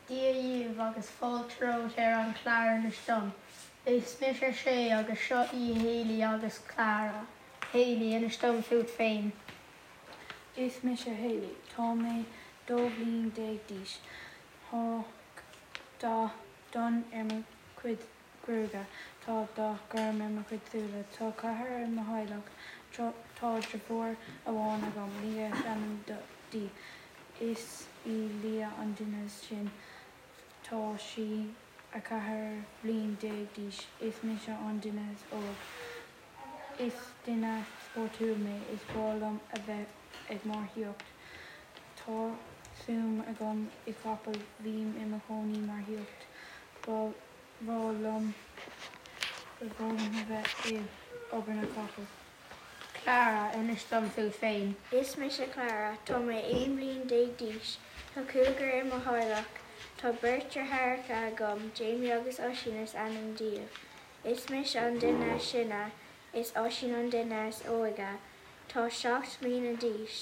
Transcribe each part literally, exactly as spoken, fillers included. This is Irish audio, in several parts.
Dia daoibh agus fáilte romhat ar an chlár Inis Dom. Is mise Sé agus seo í Hayley agus Clara. Hayley inis dom fút féin. Is mise Hayley Tá mé dó bhliain déag d'aois Tá dath donn ar mo chuid gruaige Tá dath gorm ar mo chuid súile Tá ceathrar i mo theaghlach Tá deirfiúr amháin agam Lia is ainm di Is í Lia an duine is sine Tá sí a ceathair bliain déag d'aois Is mise an duine is óige Is duine spórtúil mé is breá liom a bheith ag marcaíocht Tá suim agam i gcapaill bím i mo chónaí marcaíocht Ba bhreá liom ba bhreá liom a bheith ag obair na capall. Clara inis dom fút féin. Is mise Clara, Tá mé aon bhliain déag d'aois, Tá cúigear i mo theaghlach, Tá beirt deartháireacha agam, Jamie agus Oisín is ainm dóibh. Is mise an duine is sine, is Oisín an duine is óige, Tá seacht mbliana d'aois.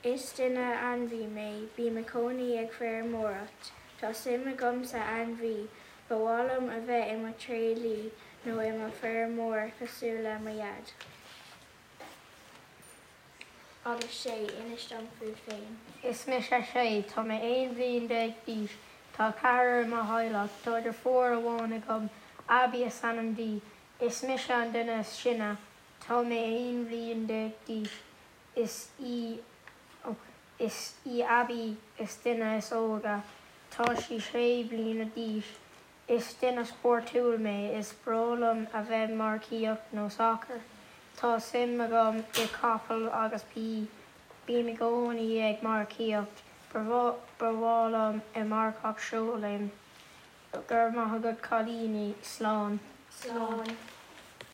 Is duine ainmhí mé, bím i gcónaí ag feirmeoireacht, Tá suim agam sa ainmhí, ba mhaith liom a bheith i mo thréadliaí nó i mo feirmeoir cosúil le mo dhaid. Agus Sé inis dom fút féin. Is mise Sé tá mé aon bhliain déag d'aois Tá ceathrar i mo theaghlach Tá deirfiúr amháin agam Abby is ainm di Is mise an duine is sine Tá mé aon bhliain déag d'aois Is í oh, is í Abby is duine is óige Tá sí sé bliana d'aois Is duine spórtúil mé is breá liom a bheith marcaíocht nó soccer. Tá suim agam i capall agus bí bím i gcónaí ag marcaíocht ba mhaith liom i marcach seolaim gur maith agat cailíní slán. Slán.